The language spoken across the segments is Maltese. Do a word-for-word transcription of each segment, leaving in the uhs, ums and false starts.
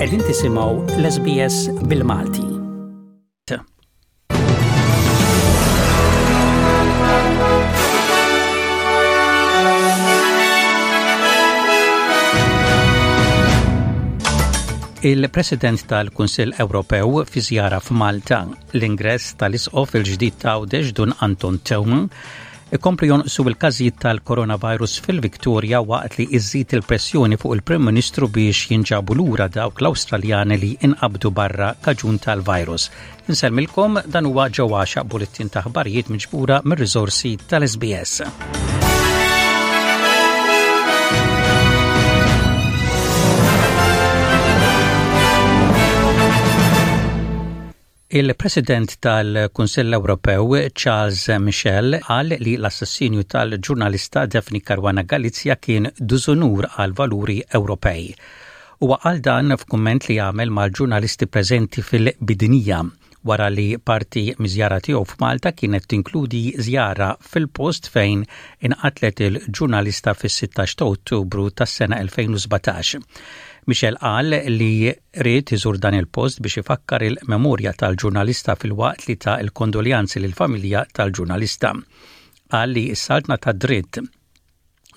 Qegħdin tisimgħu l-S B S bil-Malti. Il-President tal-Kunsill Ewropew fi żjara f'Malta, l-ingress tal-Isqof il-ġdid ta' Għawdex Dun Anton Teuma, ikomplu jonqsu il-każijiet tal-coronavirus fil-Viktoria waqt li iżżid il-pressjoni fuq il-Prim Ministru biex jinġabu lura dawk l-Awstraljani li inqabdu barra kaġun tal-virus. Insellmilkom, dan huwa ġewwaxa bulettin ta' aħbarijiet miġbura mir-riżorsi tal-S B S. Il-President tal-Kunsill Ewropew Charles Michel qal li l-assassinju tal-ġurnalista Daphne Caruana Galizia kien diżunur għal valuri Ewropej. Huwa qal dan f'kumment li għamel mal-ġurnalisti preżenti fil-Bidnija wara li parti miż-żjara tiegħu f'Malta kienet tinkludi żjara fil-post fejn inqatlet il-ġurnalista fis-sittax ta' Ottubru tas-sena elfejn u sbatax. Michel qal li ried iżur dan il-post biex ifakkar il-memorja tal-ġurnalista filwaqt li ta il-kondoljanzi lill-familja tal-ġurnalista. Qal li s-saltna ta' dritt,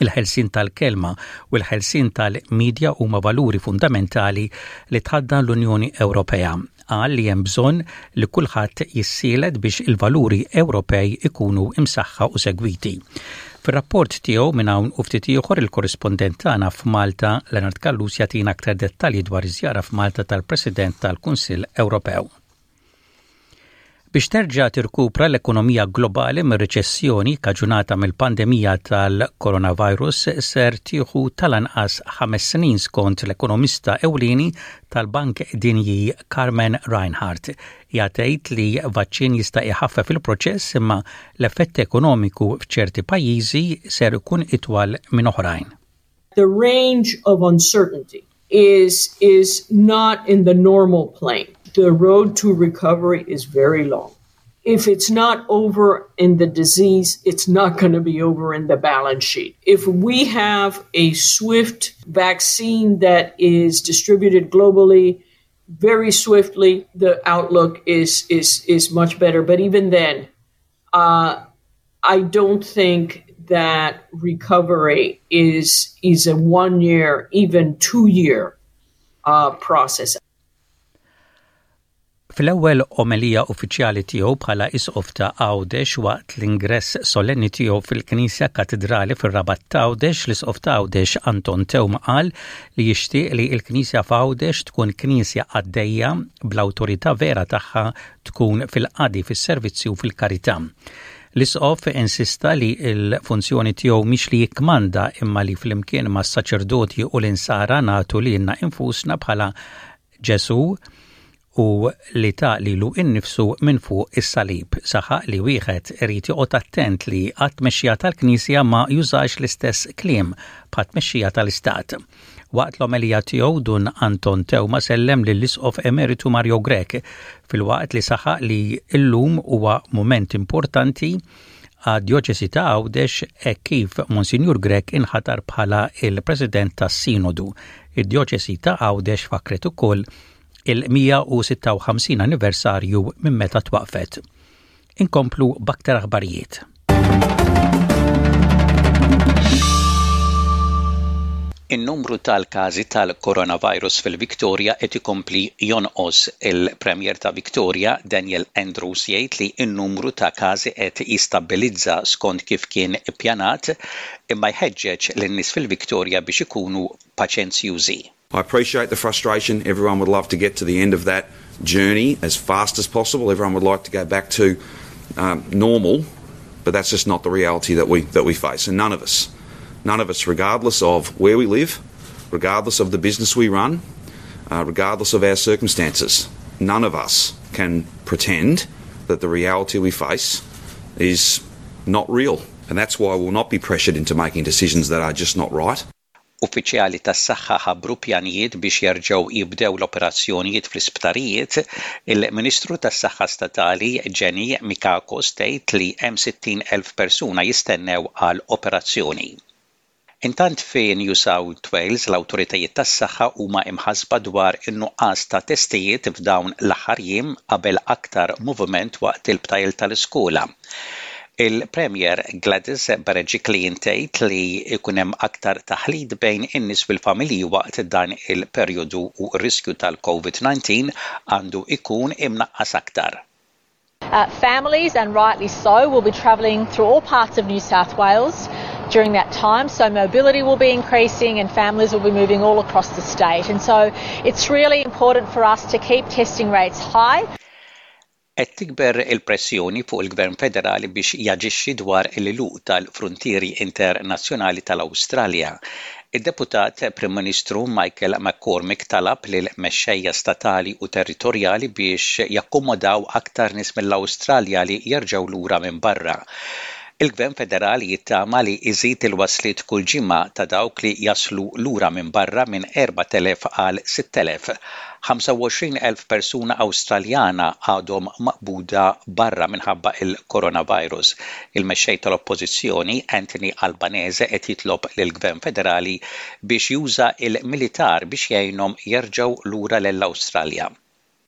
il-ħelsin tal-kelma u l-ħelsin tal-medja huma valuri fundamentali li tħaddan l-Unjoni Ewropea. Qal li hemm bżonn li kulħadd jissielet biex il-valuri Ewropej ikunu imsaħħa u segwiti. Fir-rapport tiegħu minn hawn u ftit ieħor, il-korrispondent tagħna f'Malta Leonard Callus jagħtina aktar dettalji dwar iż-żjara f'Malta tal-President tal-Kunsill Ewropew. Biex terġa' tirkupra l-ekonomija globali mir-riċessjoni kaġunata mill-pandemija tal-coronavirus ser tieħu tal-anqas ħames snin, skont l-ekonomista ewlieni tal-Bank Dinji Carmen Reinhart. Tgħid li vaċċin jista' iħaffef il-proċess, imma l-effett ekonomiku f'ċerti pajjiżi ser ikun itwal minn oħrajn. The range of uncertainty is is not in the normal plane. The road to recovery is very long. If it's not over in the disease, it's not going to be over in the balance sheet. If we have a swift vaccine that is distributed globally very swiftly, the outlook is is is much better. But even then, uh, I don't think that recovery is is a one year, even two year uh, process. Fl-ewwel omelija uffiċjali tiegħu bħala isqof ta' Għawdex, waqt l-ingress solenni tiegħu fil-Knisja Katedrali fir-Rabat ta' Għawdex, l-Isqof ta' Għawdex Anton Teuma qal li jixtieq li l-Knisja f'Għawdex tkun knisja għaddejja, bl-awtorità vera tagħha tkun fil-qadi, fis-servizzi u fil-karità. L-isqof insista li l-funzjoni tiegħu mhix li jikkmanda, imma li flimkien ma' saċerdoti u l-insara nagħtu lilna infusna bħala Ġesu u li ta lilu innifsu minn fuq is-salib. Saħaq li wieħed irid joqgħod attent li għat-tmexxija tal-Knisja ma jużax l-istess kliem bħat-tmexxija tal-Istat. Waqt l-omelija tiegħu, Dun Anton Teuma sellem lill-Isqof Emeritu Mario Grech filwaqt li saħaq li llum huwa moment importanti għad-djoċesi ta' Għawdex e kif Monsinjur Grech inħatar bħala il-President tas-Sinodu. Id-djoċesi ta' Għawdex fakret ukoll il-mija u sitta u ħamsin anniversarju minn meta twaqfet. Inkomplu b'aktar aħbarijiet. In-numru tal-każi tal-coronavirus fil-Victoria qed ikompli jonqos. Il-Premier ta' Victoria Daniel Andrews jgħid li n-numru ta' każi qed jistabbilizza skont kif kien ippjanat, imma jħeġġeġ lin-nies fil-Victoria biex ikunu paċenzjużi. I appreciate the frustration. Everyone would love to get to the end of that journey as fast as possible. Everyone would like to go back to um, normal, but that's just not the reality that we that we face. And none of us, none of us, regardless of where we live, regardless of the business we run, uh, regardless of our circumstances, none of us can pretend that the reality we face is not real. And that's why we'll not be pressured into making decisions that are just not right. Uffiċjali tas-saħħa ħabbru pjanijiet biex jerġgħu jibdew l-operazzjonijiet fl-isptarijiet. Il-Ministru tas-Saħħa Statali Jenny Mikakos tgħid li hemm sittin elf persuna jistennew għal operazzjoni. Intant fi New South Wales l-awtoritajiet tas-saħħa huma imħasba dwar in-nuqqas ta' testijiet f'dawn l-aħħar jiem qabel aktar moviment waqt il-btajjel tal-iskola. Il-Premier Gladys Berejiklian tgħid li jkun hemm aktar taħlit bejn in-nies fil-familji waqt dan il-perjodu u r-riskju tal-COVID nineteen għandu ikun imnaqqas aktar. Uh, families, and rightly so, will be travelling through all parts of New South Wales during that time. So mobility will be increasing and families will be moving all across the state. And so it's really important for us to keep testing rates high. Qed tikber il-pressjoni fuq il-Gvern Federali biex jaġixxi dwar l-għeluq tal-frontieri internazzjonali tal-Awstralja. Id-deputat Prim Ministru Michael McCormack talab lil mexxejja statali u territorjali biex jakkomodaw aktar nies mill-Awstralja li jerġgħu lura minn barra. Il-Gvern Federali jittama li iżid il-wasliet kull ġimgħa ta' dawk li jaslu lura minn barra minn erbat elef għal sitt elef. ħamsa u għoxrin elf persuna Awstraljana għadhom maqbuda barra minħabba il-coronavirus. Il-mexxej tal-Oppożizzjoni Anthony Albanese qed jitlob lill-Gvern Federali biex juża il-militar biex jgħinhom jerġgħu lura lill-Awstralja.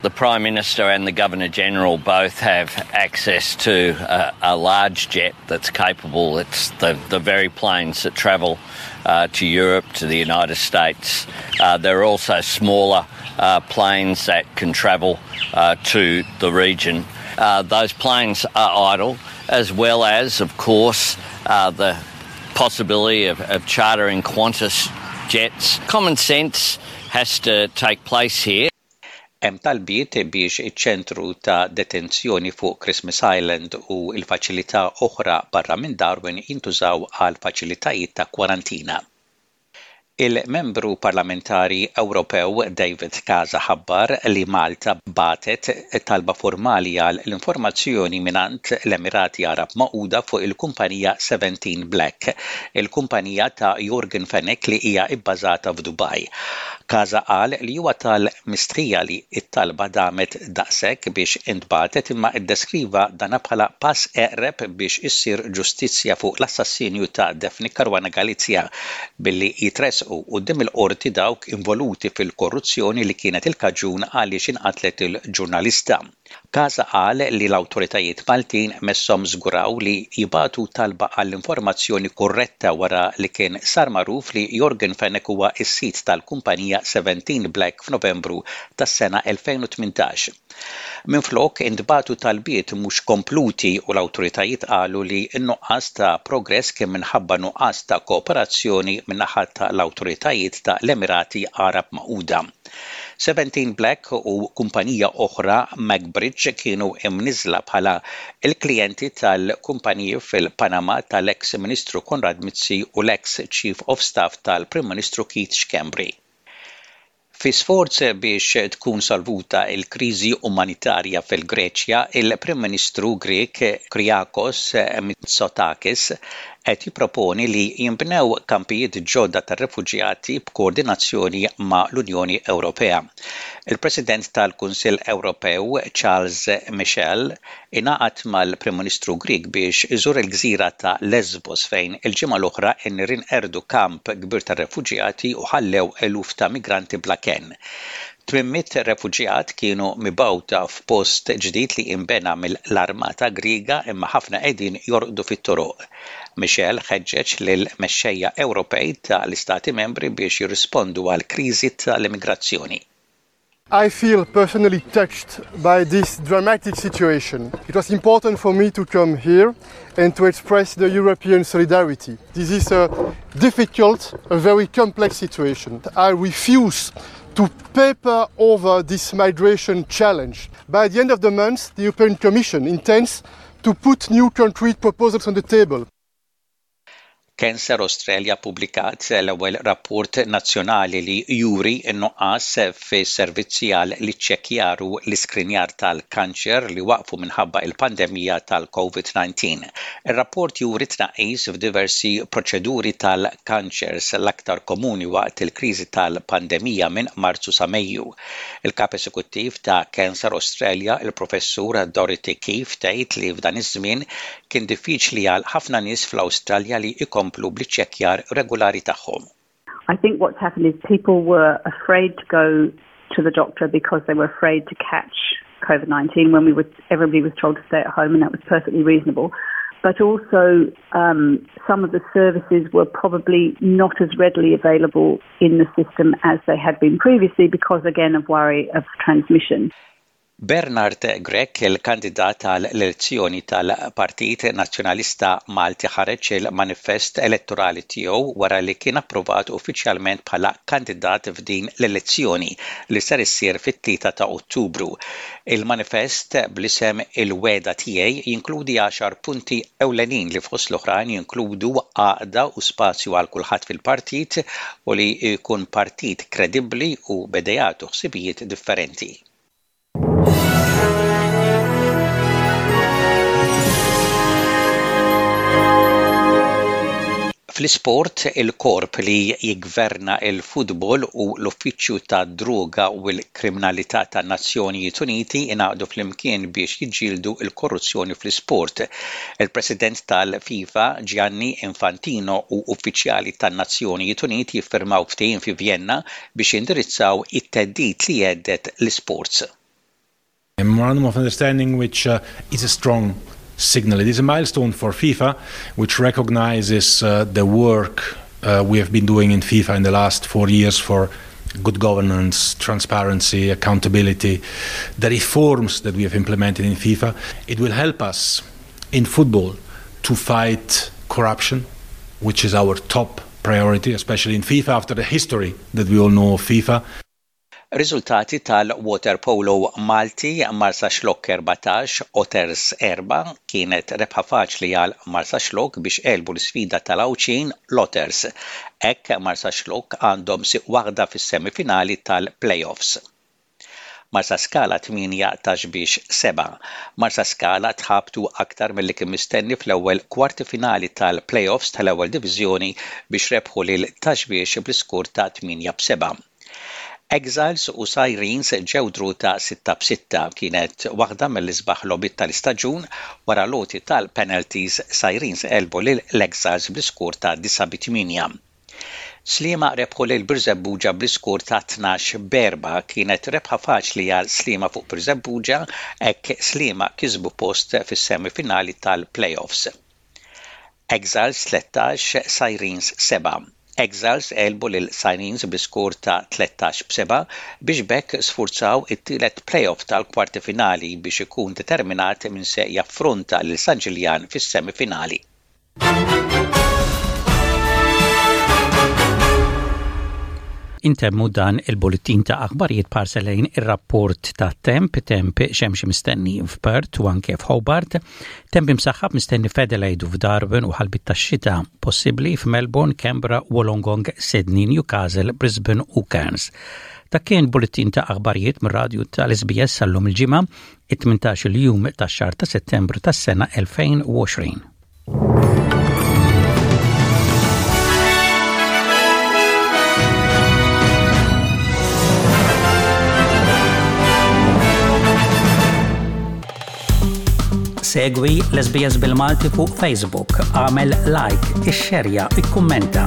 The Prime Minister and the Governor General both have access to a, a large jet that's capable. It's the, the very planes that travel uh, to Europe, to the United States. Uh, there are also smaller uh, planes that can travel uh, to the region. Uh, those planes are idle, as well as, of course, uh, the possibility of, of chartering Qantas jets. Common sense has to take place here. Hemm talbiet biex iċ-ċentru ta' detenzjoni fuq Christmas Island u l-faċilità oħra barra minn Darwin jintużaw għal faċilitajiet ta' kwarantina. Il-membru parlamentari Ewropew David Casa ħabbar li Malta bagħtet talba formali għal l-informazzjoni mingħand l-Emirati Arab Magħquda fuq il-kumpanija seventeen Black, il-kumpanija ta' Yorgen Fenech li hija ibbażata f'Dubai. Casa qal li huwa tal-mistħija li it-talba damet daqshekk biex intbagħtet, imma iddeskriva dana bħala pass eqreb biex issir ġustizzja fuq l-assassinju ta' Daphne Caruana Galizia billi jitressqu quddiem il-qorti dawk involuti fil-korruzzjoni li kienet il-kaġun għaliex inqatlet il-ġurnalista. Casa qal li l-awtoritajiet Maltin messhom żguraw li jibagħtu talba għall-informazzjoni korretta wara li kien sar magħruf li Yorgen Fenech huwa s-sid tal-kumpanija seventeen Black f'Novembru tas-sena elfejn u tmintax. Minflok intbagħtu talbiet mhux kompluti u l-awtoritajiet qalu li n-nuqqas ta' progress kien minħabba nuqqas ta' kooperazzjoni min-naħa tal-awtoritajiet ta' l-Emirati Arab Magħquda. seventeen Black u kumpanija oħra, MacBridge, kienu imniżla bħala il-klijenti tal-kumpaniji fil-Panama tal-ex Ministru Konrad Mizzi u l-ex Chief of Staff tal-Prim Ministru Keith Schembri. Fi sforz biex tkun solvuta il-kriżi umanitarja fil-Greċja, il-Prim Ministru Grek Kyriakos Mitsotakis qed jipproponi li jinbnew kampijiet ġodda tar-refuġjati b'koordinazzjoni ma' l-Unjoni Ewropea. Il-President tal-Kunsill Ewropew Charles Michel ingħaqad mal-Prim Ministru Grek biex iżur il-gżira ta' Lesbos, fejn il-ġimgħa l-oħra n-nirien qerdu kamp kbir tar-refuġjati u ħallew eluf ta' migranti bla kenn. Tmien mitt refuġjat kienu mibgħuta f'post ġdid li imbena mill-Armata Griega, imma ħafna qegħdin jorqdu fit-toroq. Michel ħeġġeġ lil mexxejja Ewropej tal-Istati Membri biex jirrispondu għal kriżi tal-immigrazzjoni. I feel personally touched by this dramatic situation. It was important for me to come here and to express the European solidarity. This is a difficult, a very complex situation. I refuse to paper over this migration challenge. By the end of the month, the European Commission intends to put new concrete proposals on the table. Cancer Australia publikat l-ewwel rapport nazzjonali li juri n-nuqqas fi servizzi għal l-iċċekkjar u l-iskrinjar tal-kanċer li waqfu minħabba il-pandemija tal-COVID nineteen. Ir-rapport juri tnaqqis f'diversi proċeduri tal-kanċers l-aktar komuni waqt il-kriżi tal-pandemija minn Marzu sa Mejju. Il-kap esekuttiv ta' Cancer Australia, il-professur Dorothy Keefe, tgħid li f'dan iż-żmien kien diffiċli għal ħafna nies fl-Awstralja li jkomplu. ikomplu bl-iċċekkjar regolari tagħhom. I think what's happened is people were afraid to go to the doctor because they were afraid to catch COVID nineteen when we were, everybody was told to stay at home, and that was perfectly reasonable. But also, um, some of the services were probably not as readily available in the system as they had been previously because, again, of worry of transmission. Bernard Grech, il-kandidat għall-elezzjoni tal-Partit Nazzjonalista Malti, ħareġ il-manifest elettorali tiegħu wara li kien approvat uffiċjalment bħala kandidat f'din l-elezzjoni li ser issir fit-tlieta ta' Ottubru. Il-manifest bl-isem Il-Wegħda Tiegħi jinkludi għaxar punti ewlenin li fost l-oħrajn jinkludu għaqda u spazju għal kulħadd fil-partit u li jkun partit kredibbli u b'ideat u ħsibijiet differenti. Fl-isport, il-korp li jigverna il-futbol u l-Uffiċċju ta' Droga u l-Kriminalità tan-Nazzjonijiet Uniti ingħaqdu flimkien biex jiġġieldu l-korruzzjoni fl-isport. Il-President tal-FIFA Gianni Infantino u uffiċjali tan-Nazzjonijiet Uniti jiffirmaw ftehim fi Vienna biex jindirizzaw it-theddid li jhedded l-isports. A memorandum of understanding which uh, is a strong signal. It is a milestone for FIFA, which recognizes uh, the work uh, we have been doing in FIFA in the last four years for good governance, transparency, accountability, the reforms that we have implemented in FIFA. It will help us in football to fight corruption, which is our top priority, especially in FIFA after the history that we all know of FIFA. Riżultati tal-waterpolo Malti: Marsaxlokk erbatax, Otters erbgħa. Kienet rebħa faċli għal Marsaxlokk biex għelbu l-sfida tal-Għawdxin, l-Otters. Hekk Marsaxlokk għandhom siq waħda fis-semifinali tal-playoffs. Marsaskala tmienja, Ta' Xbiex sebgħa. Marsaskala tħabtu aktar milli kien mistenni fl-ewwel kwarti finali tal-playoffs tal-ewwel diviżjoni biex rebħu lil Ta' Xbiex bl-iskur ta' tmienja b'sebgħa. Exiles u Sirens ġew draw ta' sitta b'sitta. Kienet waħda mill-isbaħ logħbiet tal-istaġun. Wara l-għoti tal-penalties, Sirens għelbu lil l-Exiles bl-iskur ta' disgħa b'tmienja. Sliema rebħu lil Birżebbuġa bl-iskur ta' tnax b'erbgħa. Kienet rebħa faċli għal Sliema fuq Birżebbuġa, hekk Sliema kisbu post fis-semifinali tal-playoffs. Exiles tlettax, Sirens sebgħa. Exiles għelbu lil Sirens bl-iskur ta' tlettax b'sebgħa biex b'hekk sfurzaw it-tielet playoff tal-kwarti finali biex ikun determinat min se jaffronta lil San Ġiljan fis-semifinali. Intemmu dan il-bulletin ta' aħbarijiet b'ħarsa lejn ir-rapport ta' temp. Temp xemxi mistenni f'Perth u anke f'Hobart, temp imsaħħab mistenni f'Adelaide u f'Darwin u ħalbiet tax-xita possibbli f'Melbourne, Canberra, Wollongong, Sydney, Newcastle, Brisbane u Cairns. Dak kien bulletin ta' aħbarijiet mir-radju tal-S B S għal-lum il-Ġimgħa, it-tmintax-il jum tax-xahar ta' Settembru tas-sena elfejn u għoxrin. Segwi l-S B S bil-Malti fuq Facebook, għamel like, ixxerja, ikkummenta.